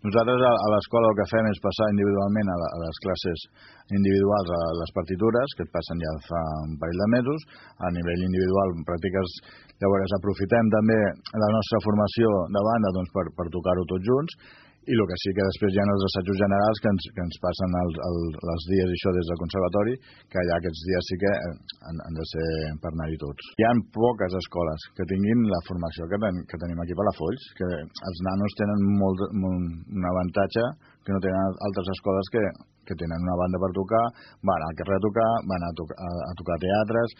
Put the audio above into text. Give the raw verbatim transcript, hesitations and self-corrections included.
Nosaltres a l'escola el que fem és passar individualment a les classes individuals a les partitures, que et passen ja fa un parell de mesos, a nivell individual pràctiques. Llavors aprofitem també la nostra formació de banda doncs, per, per tocar-ho tots junts, i el que sí que després hi ha els assajos generals que ens, que ens passen els, els, els dies i això des del conservatori, que allà aquests dies sí que han, han de ser per anar-hi tots. Hi ha poques escoles que tinguin la formació que, ten, que tenim aquí a Palafolls, que els nanos tenen molt, molt, un avantatge que no tenen altres escoles que, que tenen una banda per tocar, van al carrer a tocar, van a, tocar, a, a tocar teatres.